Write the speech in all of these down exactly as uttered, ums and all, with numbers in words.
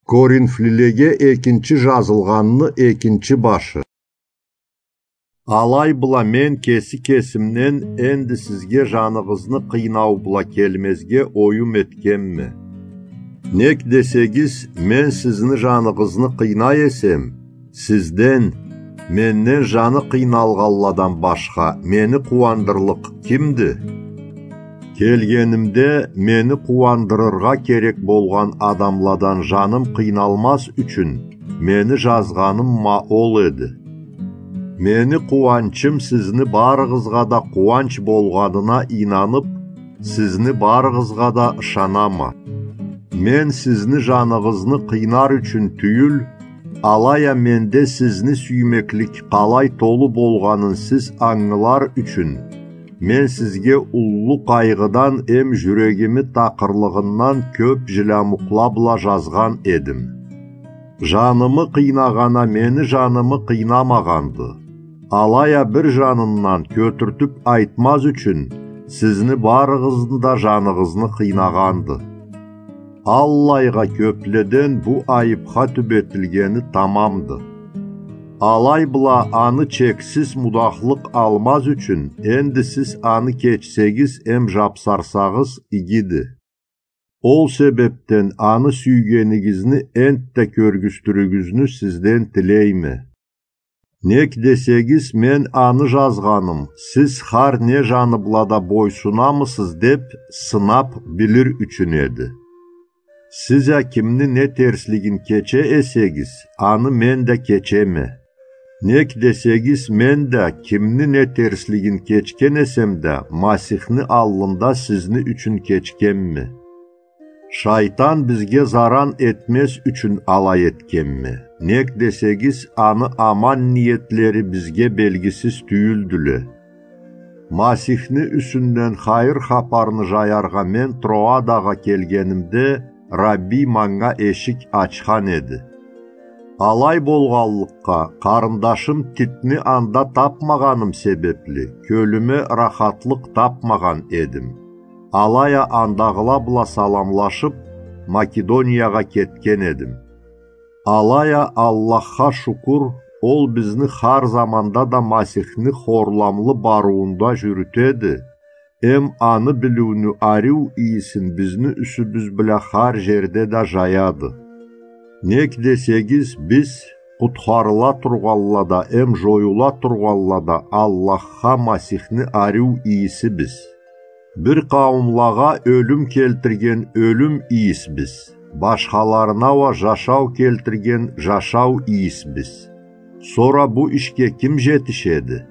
Коринфлилеге экинчи жазылгъанны экинчи башы. Алай бла мен кеси кесимден энди сизге жаныгъызны къыйнау бла келмезге оюм этгенме. Нек десегиз, мен сизни жаныгъызны къыйнай эсем, сизден, менден жаны къыйналгъанладан башха, мени къууандырлыкъ кимди? Келгенимде, мени къууандырыргъа керек болгъан адамладан жаным къыйналмаз ючюн, мени жазгъаным ма ол эди. Мени къууанчым сизни барыгъызгъа да къууанч болгъанына ийнанып, сизни барыгъызгъа да ышанама. Мен сизни жаныгъызны къыйнар ючюн тюйюл, алай а менде сизни сюймеклик къалай толу болгъанын сиз ангылар ючюн, мен сизге уллу къайгъыдан эм жюрегими такъырлыгъындан кёп жилямукъла бла жазгъан эдим. Жанымы къыйнагъан а мени жанымы къыйнамагъанды. Алай а бир жанындан кётюртюп айтмаз ючюн, сизни барыгъызны да жаныгъызны къыйнагъанды. Аллайгъа кёпледен бу айыпха тюбетилгени тамамды. Алай бла аны чексиз мудахлыкъ алмаз ючюн, энди сиз аны кечсегиз эм жапсарсагъыз, игиди. Ол себепден аны сюйгенигизни энтда кёргюзтюрюгюзню сизден тилейме. Нек десегиз, мен аны жазгъаным, сиз хар не жаны бла да бойсунамысыз деп сынап билир ючюн эди. Сиз а кимни не терслигин кече эсегиз, аны мен да кечеме. Нек десегиз, мен да кимни не терслигин кечген эсем да, Масихни аллында сизни ючюн кечгенме. Шайтан бизге заран этмез ючюн алай этгенме. Нек десегиз, аны аман ниетлери бизге белгисиз тюйюлдюле. Масихни юсюнден хайыр хапарны жаяргъа мен Троадагъа келгенимде, Рабби манга эшик ачхан эди. Алай болгъанлыкъгъа, къарындашым Титни анда тапмагъаным себепли, кёлюме рахатлыкъ тапмагъан эдим. Алай а андагъыла бла саламлашып, Македониягъа кетген эдим. Алай а Аллахха шукур, ол бизни хар заманда да Масихни хорламлы барыуунда жюрютеди, эм аны билиуню ариу ийисин бизни юсюбюз бла хар жерде да жаяды. Нек десегиз, биз, къутхарыла тургъанла да эм жоюла тургъанла да Аллахха Масихни ариу ийисибиз. Бир къауумлагъа ёлюм келтирген ёлюм ийисбиз, башхаларына уа жашау келтирген жашау ийисбиз. Сора бу ишге ким жетишеди?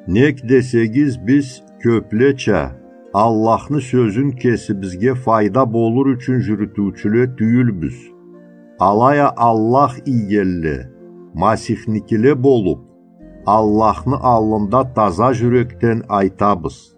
Нек десегиз, биз кёплеча, Аллахны сёзюн кесибизге файда болур ючюн жюрютюучюле тюйюлбюз. Алай а Аллах ийгенле, Масихникиле болуп, Аллахны аллында таза жюрекден айтабыз.